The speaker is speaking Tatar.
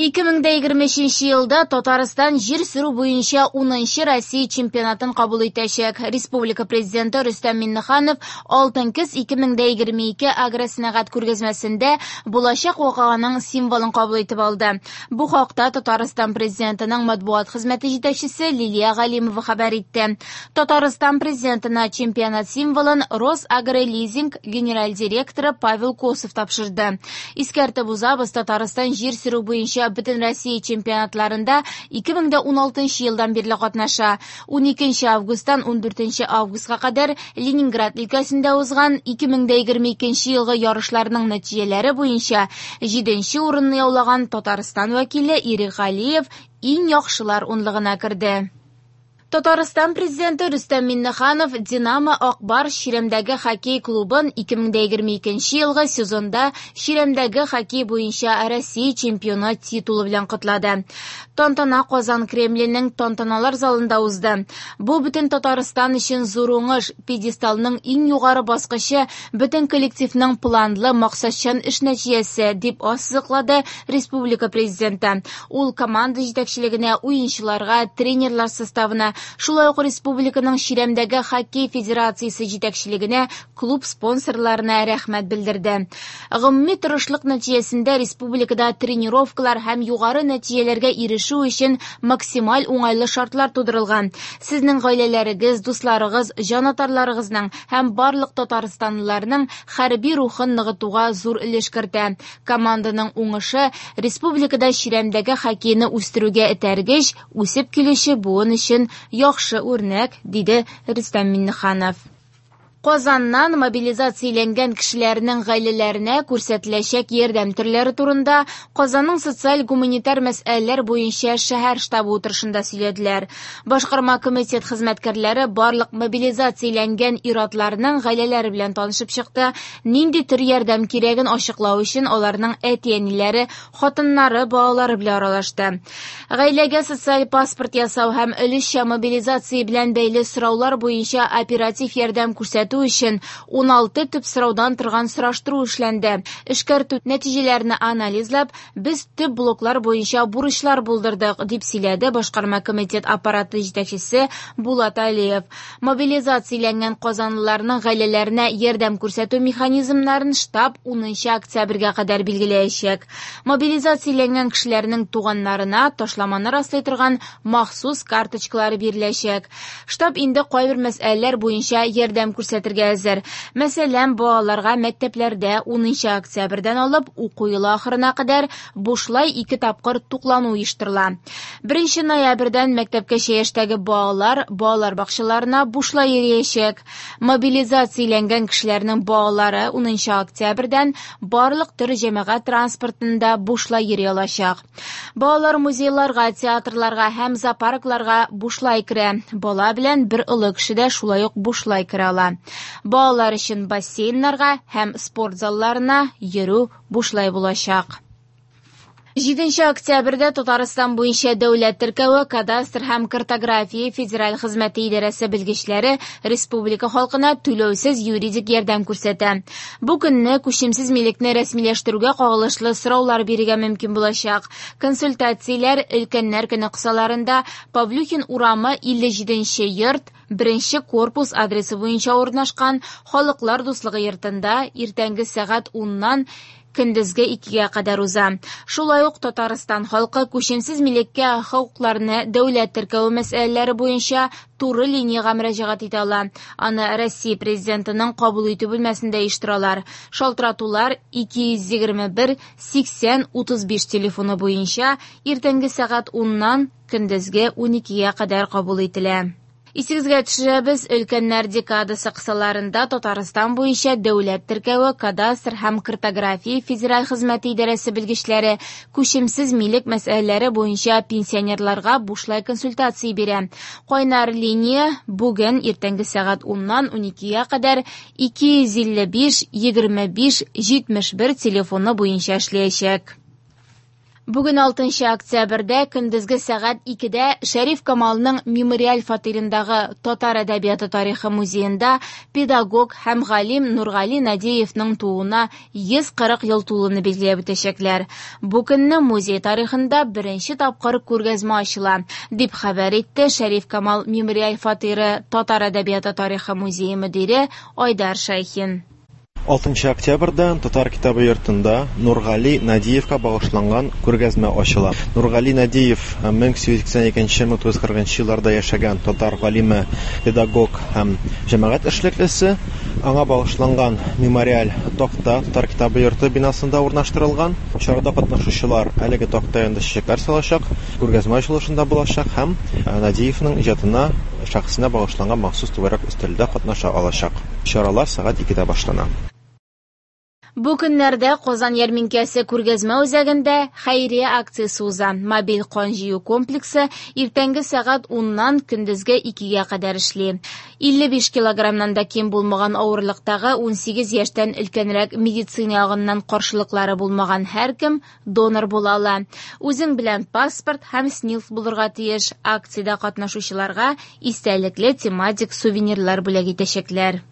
2023 елда Татарстан җир сөрү буенча 10нчы Россия чемпионатын кабул итәчәк. Республика Президенты Рөстәм Миңнеханов Алтын көз 2022 агросәнәгать күргәзмәсендә булачак вакыйганың символын кабул итеп алды. Бу хакта Татарстан Президентының матбугат хезмәте җитәкчесе Лилия Галимова хәбәр итте. Татарстан Президентына чемпионат символын Росагролизинг генераль директоры Павел Косов тапшырды. Искәртеп узабыз, Татарстан җир сөрү буенча Бөтенроссия чемпионатларында 2016 елдан бирле катнаша. 12 августтан 14 августка кадәр Ленинград өлкәсендә узган 2022 елгы ярышларның нәтиҗәләре буенча 7 урынны яулаган Татарстан вәкиле Ирек Галиев иң яхшылар унлыгына керде. Татарстан Президенты Рөстәм Миңнеханов Динамо Ак Барс чирәмдәге хоккей клубын 2022 елгы сезонда чирәмдәге хоккей буенча Россия чемпионы титулы белән котлады. Тантана Казан Кремленең тантаналар залында узды. Бу бөтен Татарстан өчен зур уңыш, пьедесталның иң югары баскычы, бөтен коллективның планлы, максатчан эш нәтиҗәсе, дип ассызыклады республика Президенты. Ул команда җитәкчелегенә, уенчыларга, тренерлар составына, шулай ук республиканың чирәмдәге хоккей федерациясе җитәкчелегенә, клуб спонсорларына рәхмәт белдерде. Гомуми тырышлык нәтиҗәсендә республикада тренировкалар һәм югары нәтиҗәләргә ирешү өчен максималь уңайлы шартлар тудырылган. Сезнең гаиләләрегез, дусларыгыз, җанатарларыгызның һәм барлык татарстанлыларның хәрби рухын ныгытуга зур өлеш кертә. Команданың уңышы республикада чирәмдәге хоккейны үстерүгә этәргеч, үсеп килүче буын өчен яхшы үрнәк, диде Рөстәм Миңнеханов. Казаннан мобилизацияләнгән кешеләрнең гаиләләренә күрсәтеләчәк ярдәм төрләре турында Казанның социаль-гуманитар мәсьәләләр буенча шәһәр штабы утырышында сөйләделәр. Башкарма комитет хезмәткәрләре барлык мобилизацияләнгән ир-атларның гаиләләре белән танышып чыкты. Нинди төр ярдәм кирәген ачыклау өчен аларның әти-әниләре, хатыннары, балалары белән аралашты. Гаиләгә социаль паспорт ясау һәм өлешчә мобилизация белән бәйле сораулар буенча оператив ярдәм күрсәтү өчен 16 төп сораудан торган сораштыру эшләнде. Эшкәртү нәтиҗәләрен анализлап, без төп блоклар буенча бурычлар булдырдык, дип сөйләде башкарма комитет аппараты җитәкчесе Булат Алиев. Мобилизацияләнгән казанлыларның гаиләләренә ярдәм күрсәтү механизмнарын штаб 10 октябрьгә кадәр билгеләячәк. Мобилизацияләнгән кешеләрнең туганнарына ташламаны раслый торган махсус карточкалары биреләчәк. Штаб инде кайбер мәсьәләләр буенча ярдәм күрсәтергә әзер. Мәсәлән, балаларга мәктәпләрдә 10 октябрьдән алып уку елы ахырына кадәр бушлай 2 тапкыр туклану оештырыла. 1 ноябрьдән мәктәпкәчә яшьтәге балалар балалар бакчаларына бушлай йөриячәк. Мобилизацияләнгән кешеләрнең балалары 10 октябрьдән барлык төр җәмәгать транспортында бушлай йөри алачак. Балалар музейларга, театрларга һәм зоопаркларга бушлай керә. Бала белән бер олы кеше дә шулай ук бушлай керә ала. Балалар өчен бассейннарга һәм спорт залларына йөрү бушлай булачак. 7 октябрьдә Татарстан буенча дәүләт теркәве, кадастр һәм картография федераль хезмәте идарәсе белгечләре республика халкына түләүсез юридик ярдәм күрсәтә. Бу көнне күчемсез милекне рәсмиләштерүгә кагылышлы сораулар бирергә мөмкин булачак. Консультацияләр өлкәннәр көне кысаларында Павлюхин урамы 57 йорт, 1 корпус адресы буенча урнашкан Халыклар дуслыгы йортында иртәнге сәгать 10-нан көндезге 2-гә кадәр уза. Шулай ук Татарстан халкы күчемсез милеккә хокукларны дәүләт теркәве мәсьәләләре буенча туры линиягә мөрәҗәгать итә ала. Аны Россия Президентының кабул итү бүлмәсендә оештыралар. Шалтыратулар 221 80 35 телефоны буенча иртәнге сәгать 10-нан көндезге 12-гә кадәр кабул ителә. Исегезгә төшерәбез, өлкәннәр декадасы кысаларында Татарстан буенча дәүләт теркәве, кадастр һәм картография федераль хезмәте идарәсе белгечләре күчемсез милек мәсьәләләре буенча пенсионерларга бушлай консультация бирә. Кайнар линия бүген иртәнге сәгать 10-нан 12-гә кадәр 255 25 71 телефоны буенча эшләячәк. Бүген 6 октябрьдә көндезге сәгать 2дә Шәриф Камалның мемориаль фатирындагы Татар әдәбияты тарихы музеенда педагог һәм галим Нургали Надиевның тууына 140 ел тулуны билгеләп үтәчәкләр. Бу көнне музей тарихында беренче тапкыр күргәзмә ачыла, дип хәбәр итте Шәриф Камал мемориаль фатиры Татар әдәбияты тарихы музее мөдире Айдар Шәйхин. 6 октябрьдә Татар китабы йортында Нургали Надиевка багышланган күргәзмә ачыла. Нургали Надиев 1882-1940 елларда яшәгән татар галиме, педагог һәм җәмәгать эшлеклесе. Аңа багышланган мемориаль такта Татар китабы йорты бинасында урнаштырылган. Чарада катнашучылар әлеге такта янында чәчәкләр салачак, күргәзмә ачылышында булачак һәм Надиевның иҗатына, шәхесенә багышланган махсус түгәрәк өстәлдә катнаша алачак. Чаралар сәгать 2дә башлана. Бу көннәрдә Казан ярминкәсе күргәзмә үзәгендә хәйрия акциясе уза. Мобиль кан җыю комплексы иртәнге сәгать 10-нан көндезге 2гә кадәр эшли. 55 килограммнан да ким булмаган авырлыктагы 18 яшьтән өлкәнрәк медицина ягыннан каршылыклары булмаган һәркем донор була ала. Үзең белән паспорт һәм СНИЛС булырга тиеш. Акциядә катнашучыларга истәлекле тематик сувенирлар бүләк итәчәкләр.